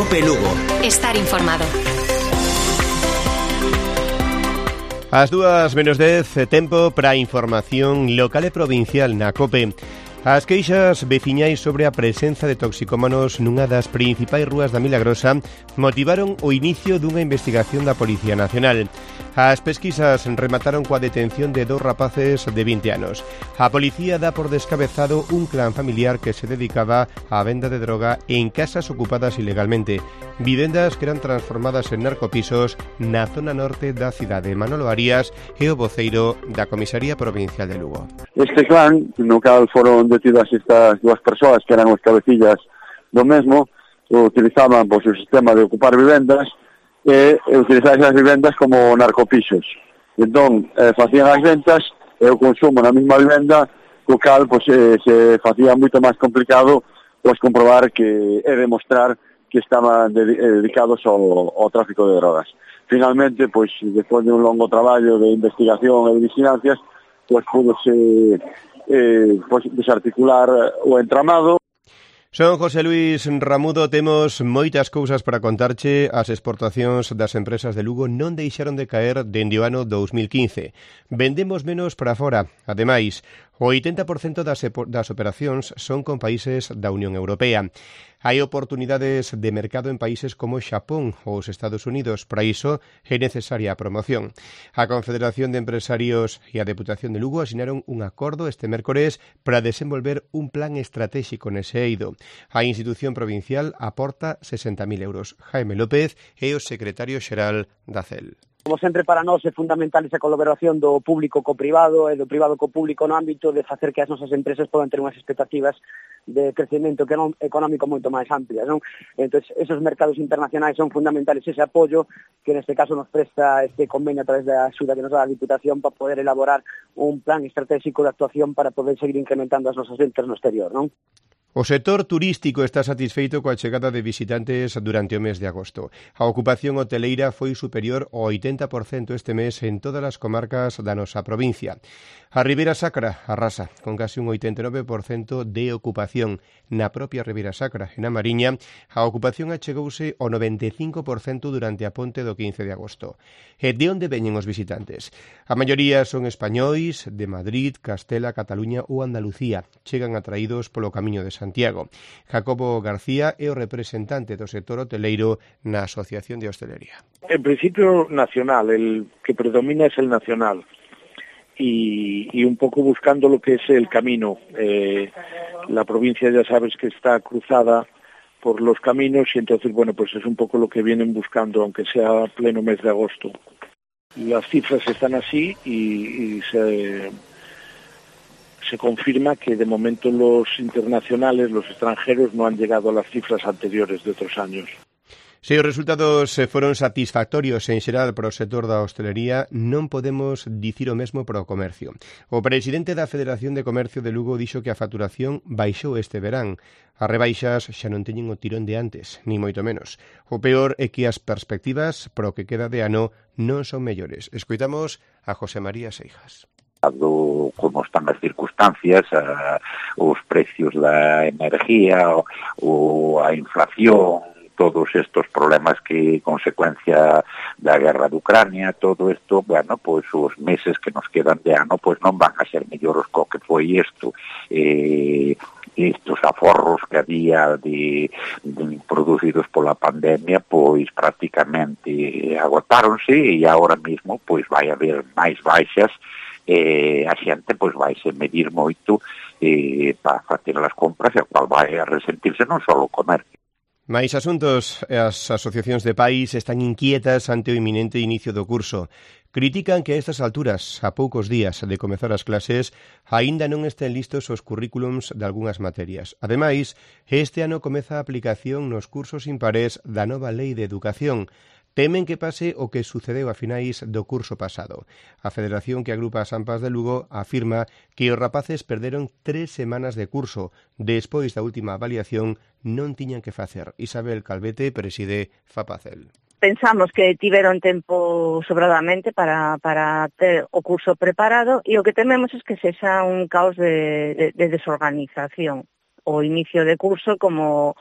COPE Lugo. Estar informado. As 2:10, tempo para a información local e provincial na COPE. As queixas veciñais sobre a presenza de toxicómanos nunha das principais rúas da Milagrosa motivaron o inicio dunha investigación da Policía Nacional. As pesquisas remataron coa detención de 2 rapaces de 20 anos. A policía dá por descabezado un clan familiar que se dedicaba á venda de droga en casas ocupadas ilegalmente, vivendas que eran transformadas en narcopisos na zona norte da cidade. Manolo Arias é o voceiro da Comisaría Provincial de Lugo. Este clan, no cal foron detidas estas 2 persoas que eran os cabecillas do mesmo, utilizaban o sistema de ocupar vivendas e utilizar esas vivendas como narcopisos. Entón, facían as ventas e o consumo na mesma vivenda, co cal se facía moito máis complicado comprobar que e demostrar que estaban dedicados ao tráfico de drogas. Finalmente, despois de un longo traballo de investigación e de vigilancias, púdose desarticular o entramado. Son José Luis Ramudo, temos moitas cousas para contarche. As exportacións das empresas de Lugo non deixaron de caer dende o ano 2015. Vendemos menos para fora. Ademais, o 80% das operacións son con países da Unión Europea. Hai oportunidades de mercado en países como Xapón ou os Estados Unidos. Para iso é necesaria a promoción. A Confederación de Empresarios e a Deputación de Lugo asinaron un acordo este mércores para desenvolver un plan estratégico nese eido. A institución provincial aporta 60.000 euros. Jaime López é o secretario xeral da CEL. Como sempre, para nós é fundamental esa colaboración do público co privado e do privado co público no ámbito de facer que as nosas empresas podan ter unhas expectativas de crecemento económico moito máis amplias, non? Entón, esos mercados internacionais son fundamentales, ese apoio que neste caso nos presta este convenio a través da axuda que nos dá a Diputación para poder elaborar un plan estratégico de actuación para poder seguir incrementando as nosas ventas no exterior, non? O sector turístico está satisfeito coa chegada de visitantes durante o mes de agosto. A ocupación hoteleira foi superior ao 80% este mes en todas as comarcas da nosa provincia. A Ribeira Sacra arrasa, con case un 89% de ocupación. Na propia Ribeira Sacra, en a Mariña, a ocupación achegouse ao 95% durante a ponte do 15 de agosto. E de onde veñen os visitantes? A maioría son españois de Madrid, Castela, Cataluña ou Andalucía. Chegan atraídos polo camiño de Santiago. Jacobo García é o representante do sector hoteleiro na Asociación de Hostelería. En principio nacional, el que predomina es el nacional y un poco buscando lo que es el camino. La provincia ya sabes que está cruzada por los caminos y entonces, bueno, pues es un poco lo que vienen buscando, aunque sea pleno mes de agosto. Las cifras están así y se confirma que de momento los internacionales, los extranjeros, no han llegado a las cifras anteriores de otros años. Se os resultados foron satisfactorios en xeral para o sector da hostelería, non podemos dicir o mesmo para o comercio. O presidente da Federación de Comercio de Lugo dixo que a facturación baixou este verán. As rebaixas xa non teñen o tirón de antes, ni moito menos. O peor é que as perspectivas para o que queda de ano non son mellores. Escoitamos a José María Seijas. Como están as circunstancias, os precios da energía, a inflación, todos estos problemas que consecuencia da guerra de Ucrania, todo isto, bueno, pois os meses que nos quedan de ano, pois non van a ser mellores co que foi isto. Estos aforros que había de producidos pola pandemia, pois prácticamente agotáronse e agora mesmo pois vai haber máis baixas. A xente pois vaise medir moito para facer as compras e a cual vai a resentirse non só o comercio. Máis asuntos. As asociacións de pais están inquietas ante o inminente inicio do curso. Critican que a estas alturas, a poucos días de comezar as clases, aínda non estén listos os currículums de algunhas materias. Ademais, este ano comeza a aplicación nos cursos impares da nova Lei de Educación. Temen que pase o que sucedeu a finais do curso pasado. A federación que agrupa as AMPAs de Lugo afirma que os rapaces perderon 3 semanas de curso. Despois da última avaliación non tiñan que facer. Isabel Calvete preside Fapacel. Pensamos que tiveron tempo sobradamente para ter o curso preparado e o que tememos é que sexa un caos de desorganización. O inicio de curso como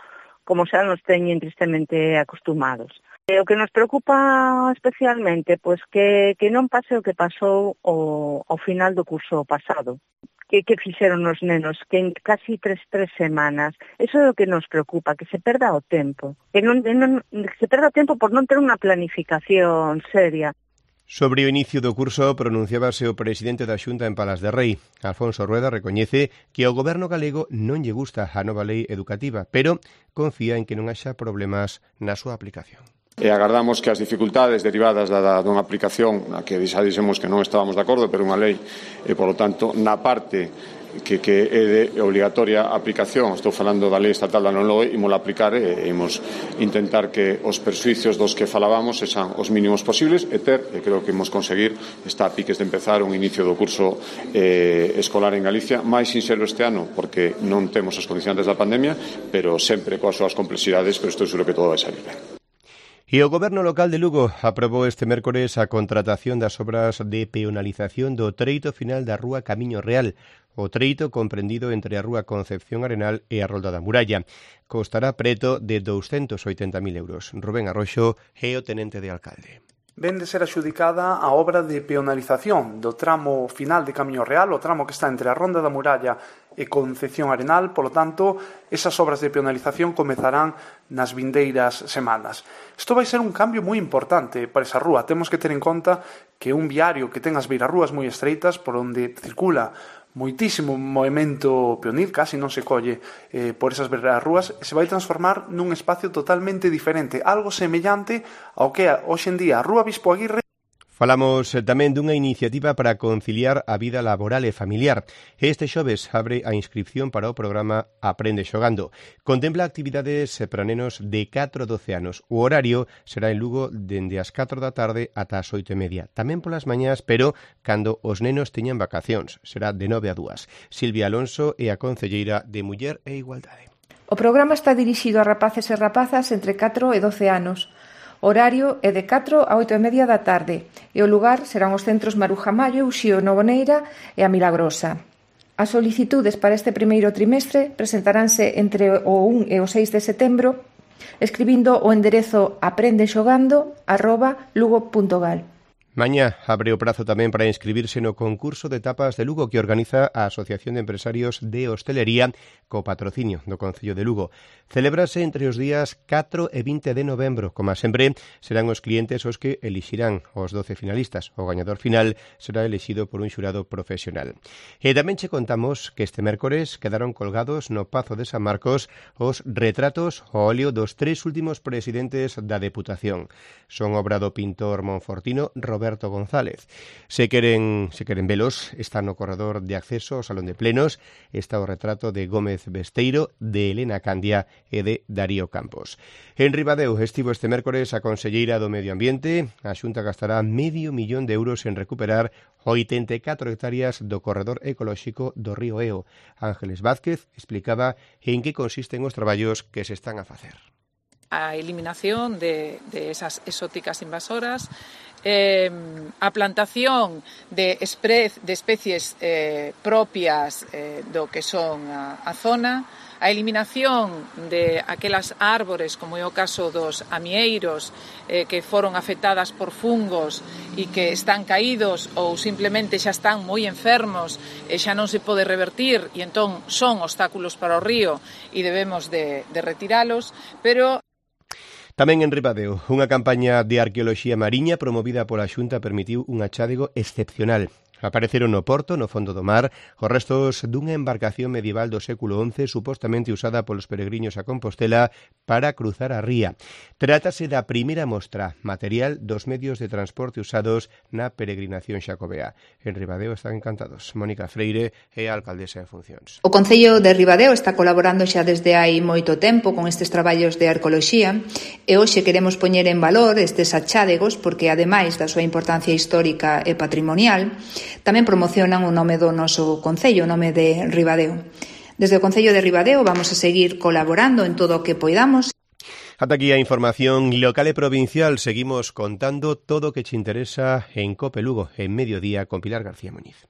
como xa nos teñen tristemente acostumados. O que nos preocupa especialmente, pois que non pase o que pasou ao final do curso pasado. Que fixeron os nenos, que en casi tres semanas. Eso é o que nos preocupa, que se perda o tempo. Que se perda o tempo por non ter unha planificación seria. Sobre o inicio do curso pronunciábase o presidente da Xunta en Palas de Rei. Alfonso Rueda recoñece que ao goberno galego non lle gusta a nova lei educativa, pero confía en que non haxa problemas na súa aplicación. E agardamos que as dificultades derivadas dunha aplicación na que xa dixemos que non estábamos de acordo, pero unha lei, e, polo tanto, na parte que é de obligatoria aplicación, estou falando da lei estatal da non LOE, imos aplicar e imos intentar que os persuicios dos que falábamos sexan os mínimos posibles e creo que imos conseguir, está a piques de empezar un inicio do curso escolar en Galicia, máis sinxelo este ano, porque non temos as condicionantes da pandemia, pero sempre coas súas complexidades, pero estou seguro que todo vai salir ben. E o Goberno local de Lugo aprobou este mércores a contratación das obras de peonalización do treito final da Rúa Camiño Real, o treito comprendido entre a Rúa Concepción Arenal e a Rolda da Muralla. Costará preto de 280.000 euros. Rubén Arroxo é o tenente de alcalde. Ven de ser adxudicada a obra de peonalización do tramo final de Camiño Real, o tramo que está entre a Ronda da Muralla e Concepción Arenal, polo tanto, esas obras de peonalización comezarán nas vindeiras semanas. Isto vai ser un cambio moi importante para esa rúa. Temos que ter en conta que un viario que ten as beirarrúas moi estreitas por onde circula moitísimo movimento peonil, casi non se colle por esas beirarrúas, se vai transformar nun espacio totalmente diferente, algo semellante ao que hoxe en día a Rúa Bispo Aguirre. Falamos tamén dunha iniciativa para conciliar a vida laboral e familiar. Este xoves abre a inscripción para o programa Aprende Xogando. Contempla actividades para nenos de 4 a 12 anos. O horario será en Lugo dende as 4 da tarde ata as 8:30. Tamén polas mañás, pero cando os nenos teñan vacacións. Será de 9 a 2. Silvia Alonso é a concelleira de Muller e Igualdade. O programa está dirixido a rapaces e rapazas entre 4 e 12 anos. O horario é de 4 a 8:30 da tarde e o lugar serán os centros Maruja Mallo, Uxío Novoneira e a Milagrosa. As solicitudes para este primeiro trimestre presentaránse entre o 1 e o 6 de setembro escribindo o enderezo aprendexogando@lugo.gal. Mañá abre o prazo tamén para inscribirse no concurso de tapas de Lugo que organiza a Asociación de Empresarios de Hostelería co patrocinio do Concello de Lugo. Celébrase entre os días 4 e 20 de novembro. Como sempre, serán os clientes os que elixirán os 12 finalistas. O gañador final será elixido por un xurado profesional. E tamén che contamos que este mércores quedaron colgados no Pazo de San Marcos os retratos ao óleo dos 3 últimos presidentes da Deputación. Son obra do pintor monfortino Roberto González. Se queren velos, está no corredor de acceso ao Salón de Plenos, está o retrato de Gómez Besteiro, de Elena Candia e de Darío Campos. En Ribadeo estivo este mércores a conselleira do Medio Ambiente. A Xunta gastará €500.000 en recuperar 84 hectáreas do corredor ecolóxico do río Eo. Ángeles Vázquez explicaba en que consisten os traballos que se están a facer. A eliminación de esas exóticas invasoras, a plantación de especies propias do que son a zona, a eliminación de aquelas árbores, como é o caso dos amieiros, que foron afectadas por fungos e que están caídos ou simplemente xa están moi enfermos e xa non se pode revertir e entón son obstáculos para o río e debemos de retiralos, pero tamén en Ribadeo, unha campaña de arqueoloxía mariña promovida pola Xunta permitiu un achádego excepcional. Apareceron no porto, no fondo do mar, os restos dunha embarcación medieval do século XI supostamente usada polos peregrinos a Compostela para cruzar a ría. Trátase da primeira mostra material dos medios de transporte usados na peregrinación xacobea. En Ribadeo están encantados. Mónica Freire é a alcaldesa en funcións. O Concello de Ribadeo está colaborando xa desde hai moito tempo con estes traballos de arqueoloxía e hoxe queremos poñer en valor estes achádegos porque, ademais da súa importancia histórica e patrimonial, tamén promocionan o nome do noso Concello, o nome de Ribadeo. Desde o Concello de Ribadeo vamos a seguir colaborando en todo o que poidamos. Ata aquí a información local e provincial. Seguimos contando todo o que te interesa en COPE Lugo, en Mediodía, con Pilar García Muñiz.